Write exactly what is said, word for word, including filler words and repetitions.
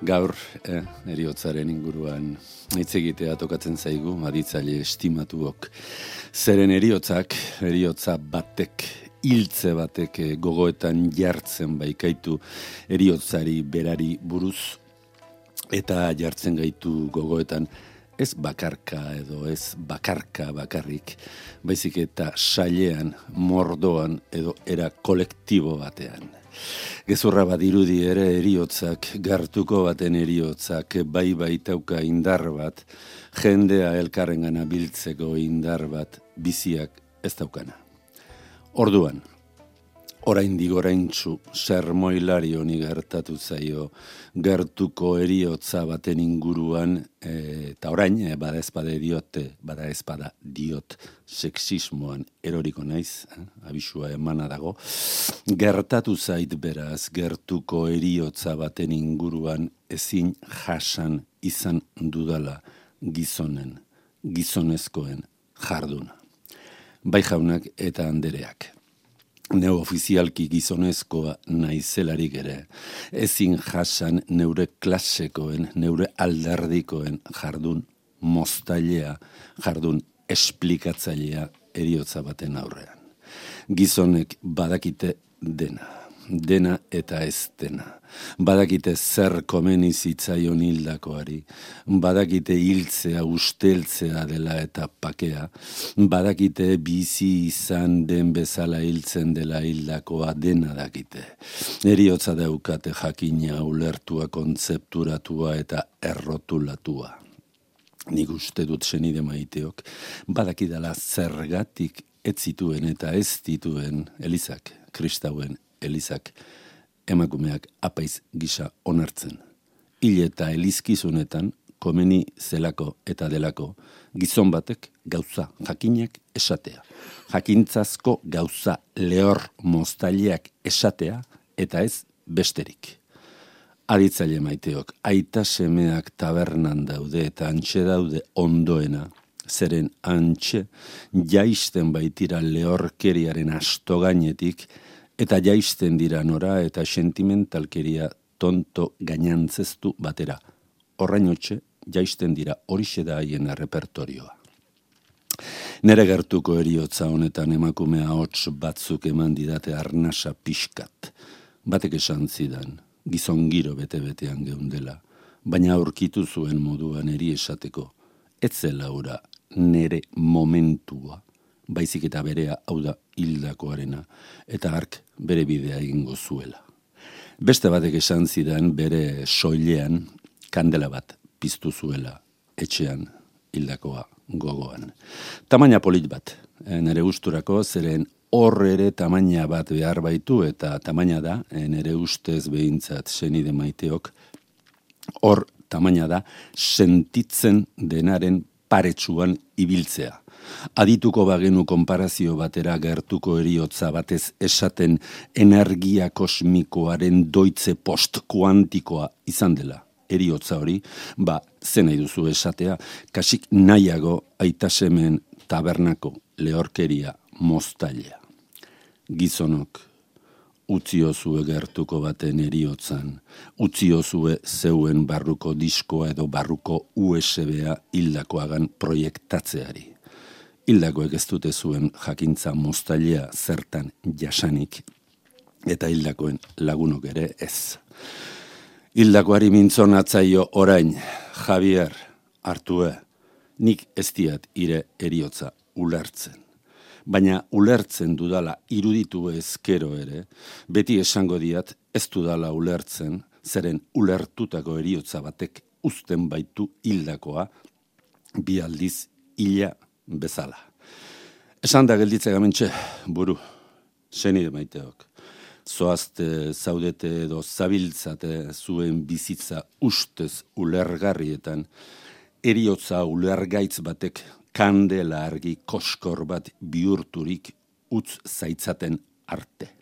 Gaur, eh, eriotzaren inguruan hitz egitea tokatzen zaigu, aditzaile estimatuok. Zeren eriotzak, eriotza batek, hiltze batek gogoetan jartzen baikaitu eriotzari berari buruz, eta jartzen gaitu gogoetan ez bakarka edo ez bakarka bakarrik, baizik eta sailean, mordoan edo era kolektibo batean. Gezurra bat irudi ere eriotzak, gartuko baten eriotzak, bai baitauka indar bat, jendea elkarrengana biltzeko indar bat, biziak ez daukana. Orduan, oraindik oraintsu sermoilari honi gertatu zaio gertuko eriotza baten inguruan, e, eta orain, e, bada ezpada diote, bada ezpada diot sexismoan eroriko naiz, eh, abisua emana dago, gertatu zait beraz gertuko eriotza baten inguruan ezin jasan izan dudala gizonen, gizonezkoen jarduna. Bai jaunak eta andereak. Neofizialki gizonezkoa naizelarik ere, ezin jasan neure klasekoen, neure alderdikoen jardun moztailea, jardun esplikatzailea eriotza baten aurrean. Gizonek badakite dena, dena eta ez dena. Badakite zer komeni zitzaion hildakoari, badakite hiltzea usteltzea dela eta pakea, badakite bizi izan den bezala hiltzen dela hildakoa dena dakite. Eriotza daukate jakina ulertua, kontzepturatua eta errotulatua. Nik uste dut senide maiteok, badakidala zergatik ez zituen eta ez dituen elizak, kristauen elizak, emakumeak apaiz gisa onartzen. Hil eta elizkizunetan, komeni zelako eta delako, gizon batek gauza jakinak esatea. Jakintzazko gauza lehor moztaileak esatea eta ez besterik. Aditzaile maiteok, aita semeak tabernan daude eta antxe daude ondoena, zeren antxe jaisten baitira lehorkeriaren astogainetik, eta jaisten dira nora eta sentimentalkeria tonto gainantzeztu batera. Horrainotxe jaisten dira horixe da haien repertorioa. Nere gertuko eriotza honetan emakumea hots batzuk eman didate arnasa pixkat. Batek esan zidan, gizon giro bete-betean geundela, baina aurkitu zuen moduan eri esateko, ez zela ura nere momentua, baizik eta berea hau da hildakoarena, eta hark bere bidea egingo zuela. Beste batek esan zidan bere soilean kandela bat piztu zuela etxean hildakoa gogoan. Tamaina polit bat, nere gusturako, zeren hor ere tamaina bat behar baitu, eta tamaina da, nere ustez behintzat senide maiteok, hor tamaina da sentitzen denaren paretsuan ibiltzea. Adituko bagenu konparazio batera gertuko eriotza batez esaten energia kosmikoaren doitze post-kuantikoa izan dela. Eriotza hori, ba, zen nahi duzu esatea, kasik nahiago aitasemen tabernako lehorkeria moztailea. Gizonok, utziozue gertuko baten eriotzan, utziozue zeuen barruko diskoa edo barruko U S B-a hildakoagan proiektatzeari. Hildakoek ez dute zuen jakintza moztailea zertan jasanik, eta hildakoen lagunok ere ez. Hildakoari mintzonatzaio orain, Javier, Artue, nik ez diat ire eriotza ulertzen. Baina ulertzen dudala iruditu ezkero ere, beti esango diat ez dudala ulertzen, zeren ulertutako eriotza batek uzten baitu hildakoa, bi aldiz hila bezala. Esan da gelditze gamentxe, buru, senide maiteok. Zoazte, zaudete edo zabiltzate zuen bizitza ustez ulergarrietan, eriotza ulergaitz batek kandela argi koskor bat bihurturik utz zaitzaten arte.